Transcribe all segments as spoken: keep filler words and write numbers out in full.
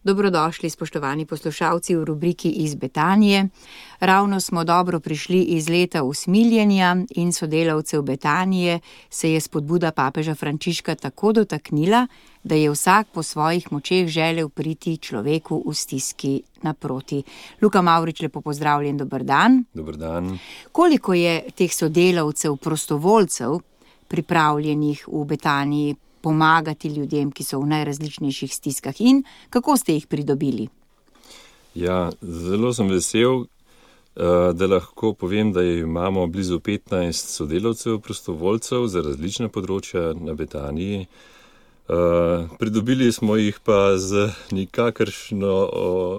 Dobrodošli, spoštovani poslušalci, v rubriki Iz Betanije. Ravno smo dobro prišli iz leta usmiljenja in sodelavcev Betanije se je spodbuda papeža Frančiška tako dotaknila, da je vsak po svojih močeh želel priti človeku v stiski naproti. Luka Mavrič, lepo pozdravljen, dober dan. Dober dan. Koliko je teh sodelavcev, prostovoljcev, pripravljenih v Betaniji pomagati ljudem, ki so v najrazličnejših stiskah, in kako ste jih pridobili? Ja, zelo sem vesel, da lahko povem, da imamo blizu petnajst sodelavcev, prostovoljcev za različna področja na Betaniji. Pridobili smo jih pa z nikakršno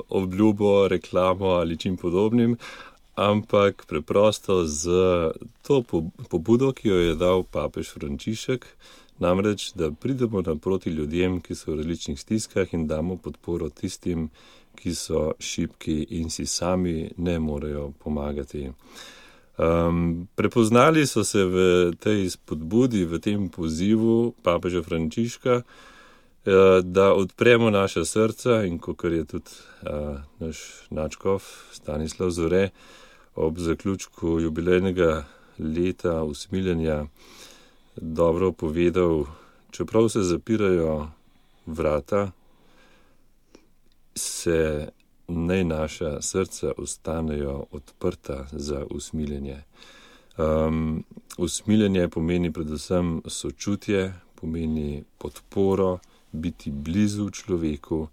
obljubo, reklamo ali čim podobnim, ampak preprosto z to pobudo, ki jo je dal papež Frančišek, namreč, da pridemo naproti ljudem, ki so v različnih stiskah, in damo podporo tistim, ki so šibki in si sami ne morejo pomagati. Um, prepoznali so se v tej spodbudi, v tem pozivu papeža Frančiška, uh, da odpremo naša srca, in kakor je tudi uh, naš nadškof Stanislav Zore ob zaključku jubilejnega leta usmiljenja dobro povedal, čeprav se zapirajo vrata, se naj naša srca ostanejo odprta za usmiljenje. Um, usmiljenje pomeni predvsem sočutje, pomeni podporo, biti blizu človeku,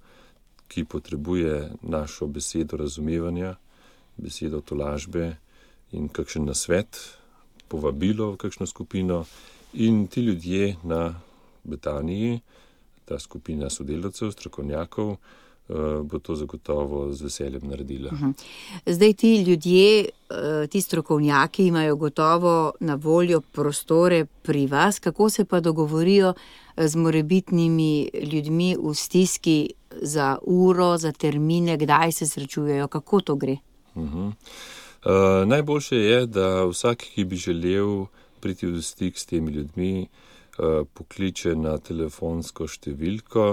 ki potrebuje našo besedo razumevanja, besedo tolažbe in kakšen nasvet, povabilo v kakšno skupino. In ti ljudje na Betaniji, ta skupina sodelavcev, strokovnjakov, bo to zagotovo z veseljem naredila. Zdaj ti ljudje, ti strokovnjaki imajo gotovo na voljo prostore pri vas. Kako se pa dogovorijo z morebitnimi ljudmi v stiski za uro, za termine, kdaj se srečujejo, kako to gre? Uh-huh. Uh, najboljše je, da vsak, ki bi želel priti v stik s temi ljudmi, pokliče na telefonsko številko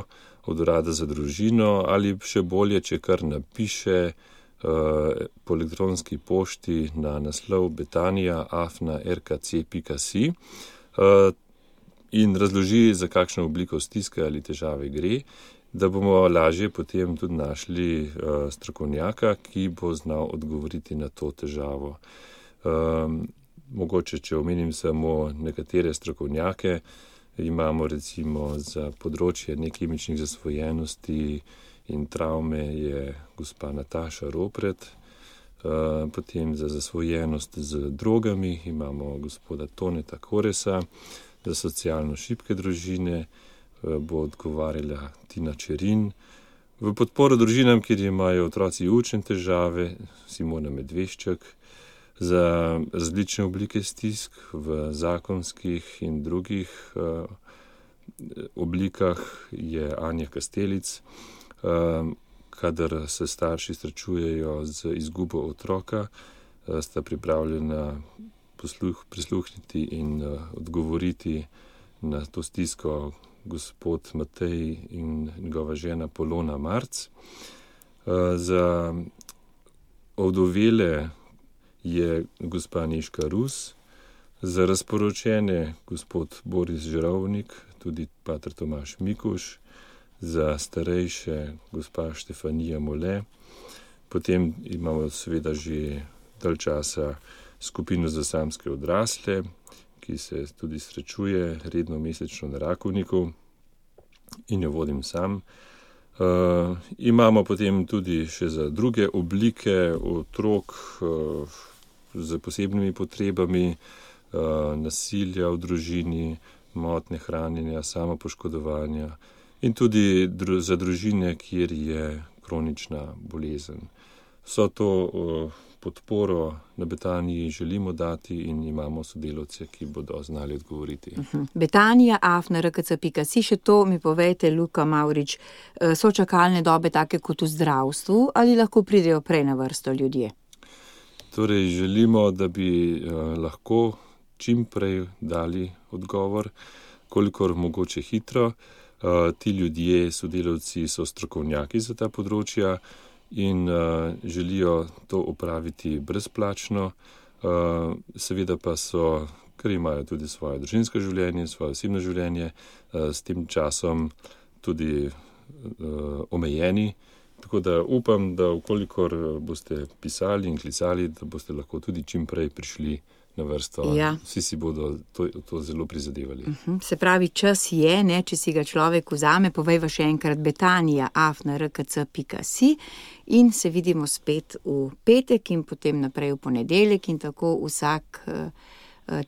od urada za družino, ali še bolje, če kar napiše po elektronski pošti na naslov betanija afna er ka ce pika si in razloži, za kakšno obliko stiske ali težave gre, da bomo lažje potem tudi našli strokovnjaka, ki bo znal odgovoriti na to težavo. Mogoče, če omenim samo nekatere strokovnjake, imamo recimo za področje nekemičnih zasvojenosti in travme je gospa Nataša Ropret, potem za zasvojenost z drogami imamo gospoda Toneta Koresa, za socialno šibke družine bo odgovarjala Tina Čerin, v podporo družinam, kjer imajo otroci učne težave, Simona Medveščak, za različne oblike stisk v zakonskih in drugih uh, oblikah je Anja Kastelic, uh, kadar se starši srečujejo z izgubo otroka, uh, sta pripravljena posluh, prisluhniti in uh, odgovoriti na to stisko gospod Matej in njegova žena Polona Marc. Uh, za ovdovele je gospa Nežka Rus, za razporočene gospod Boris Žerovnik, tudi pater Tomaž Mikuš, za starejše gospa Štefanija Mole, potem imamo seveda že dalj časa skupino za samske odrasle, ki se tudi srečuje redno mesečno na Rakovniku in jo vodim sam. Uh, imamo potem tudi še za druge oblike otrok uh, z posebnimi potrebami, uh, nasilja v družini, motnje hranjenja, samopoškodovanja in tudi dru- za družine, kjer je kronična bolezen. Vso to uh, podporo na Betaniji želimo dati in imamo sodelavce, ki bodo znali odgovoriti. Uh-huh. Betanija afna er ka ce pika si, še to mi povejte, Luka Mavrič, so čakalne dobe take kot v zdravstvu ali lahko pridejo prej na vrsto ljudje? Torej, želimo, da bi uh, lahko čim prej dali odgovor, kolikor mogoče hitro. Uh, ti ljudje, sodelavci, so strokovnjaki za ta področja in uh, želijo to opraviti brezplačno. Uh, seveda pa so, ker imajo tudi svoje družinsko življenje, svoje osebno življenje, uh, s tem časom tudi uh, omejeni. Tako da upam, da vkolikor boste pisali in klicali, da boste lahko tudi čim prej prišli na vrsto. Ja. Vsi si bodo to, to zelo prizadevali. Uh-huh. Se pravi, čas je, ne, če si ga človek vzame, povejva še enkrat betanija afna r k c pika si in se vidimo spet v petek in potem naprej v ponedeljek in tako vsak uh,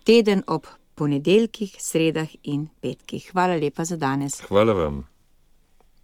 teden ob ponedeljkih, sredah in petkih. Hvala lepa za danes. Hvala vam.